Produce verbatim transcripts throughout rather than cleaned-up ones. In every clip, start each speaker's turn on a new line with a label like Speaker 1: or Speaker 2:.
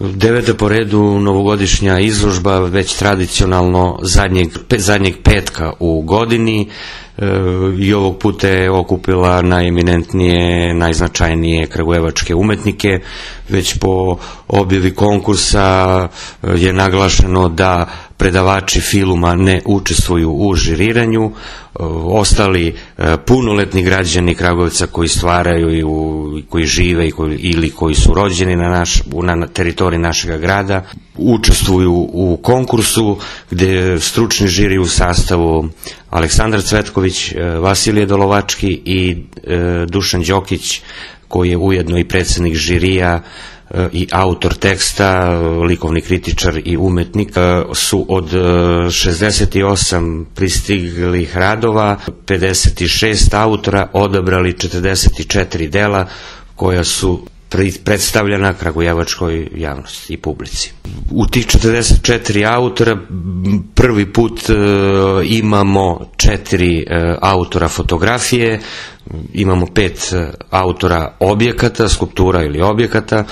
Speaker 1: Deveta po redu novogodišnja izložba, već tradicionalno zadnjeg, zadnjeg petka u godini, i ovog puta je okupila najeminentnije, najznačajnije kragujevačke umetnike. Već po objavi konkursa je naglašeno da predavači filma ne učestvuju u žiriranju. Ostali punoletni građani Kragujevca koji stvaraju i koji žive i koji, ili koji su rođeni na, naš, na teritoriji našeg grada učestvuju u konkursu, gde stručni žiri u sastavu Aleksandar Cvetković, Vasilije Dolovački i Dušan Đokić, koji je ujedno i predsednik žirija i autor teksta, likovni kritičar i umetnik, su od šezdeset osam pristiglih radova pedeset šest autora odabrali četrdeset četiri dela koja su predstavljena kragujevačkoj javnosti i publici. U tih četrdeset četiri autora prvi put imamo četiri autora fotografije, imamo pet autora objekata, skulptura ili objekata,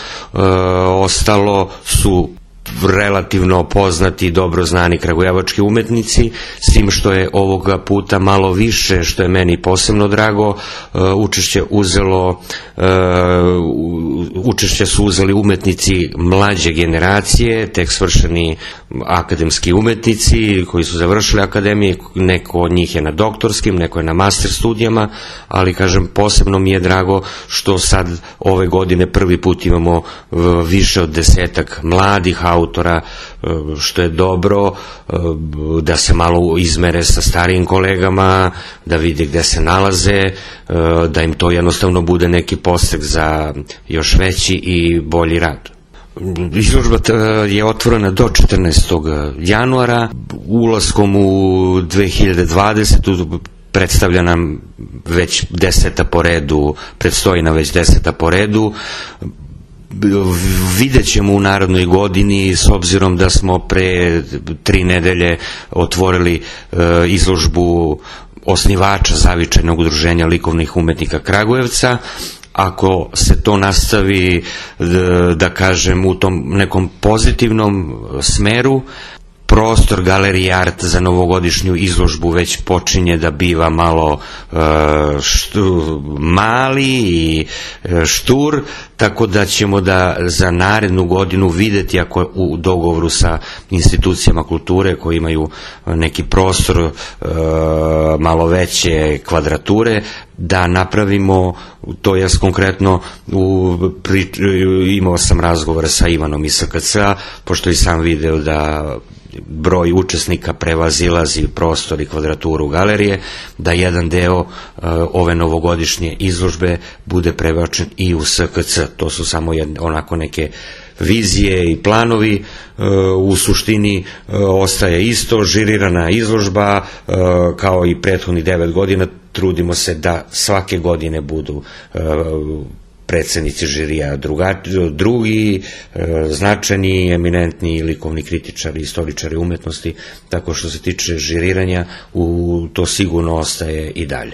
Speaker 1: ostalo su relativno poznati i dobro znani kragujevački umetnici, s tim što je ovoga puta malo više, što je meni posebno drago, učešće uzelo učešće su uzeli umetnici mlađe generacije, tek svršeni akademski umetnici koji su završili akademije, neko od njih je na doktorskim, neko je na master studijama, ali kažem, posebno mi je drago što sad ove godine prvi put imamo više od desetak mladih autora, što je dobro, da se malo izmere sa starijim kolegama, da vide gde se nalaze, da im to jednostavno bude neki podstak za još veći i bolji rad. Izložba je otvorena do četrnaestog januara, ulaskom u dve hiljade dvadesetu predstavlja nam već deseta po redu, predstoji nam već deseta po redu. Vidjet ćemo u narodnoj godini, s obzirom da smo pre tri nedelje otvorili izložbu osnivača Zavičajnog udruženja likovnih umetnika Kragujevca. Ako se to nastavi, da kažem, u tom nekom pozitivnom smeru, prostor Galerije Art za novogodišnju izložbu već počinje da biva malo štu, mali i štur, tako da ćemo da za narednu godinu videti, ako u dogovoru sa institucijama kulture koji imaju neki prostor malo veće kvadrature, da napravimo, to jest konkretno u, pri, imao sam razgovor sa Ivanom iz S K C-a, pošto i sam video da broj učesnika prevazilazi prostor i kvadraturu galerije, da jedan deo uh, ove novogodišnje izložbe bude prebačen i u S K C. To su samo jedne, onako neke vizije i planovi. Uh, u suštini uh, ostaje isto, žirirana izložba, uh, kao i prethodnih devet godina, trudimo se da svake godine budu uh, predsednici žirija drugi, značajni, eminentni likovni kritičari, istoričari umetnosti, tako što se tiče žiriranja, to sigurno ostaje i dalje.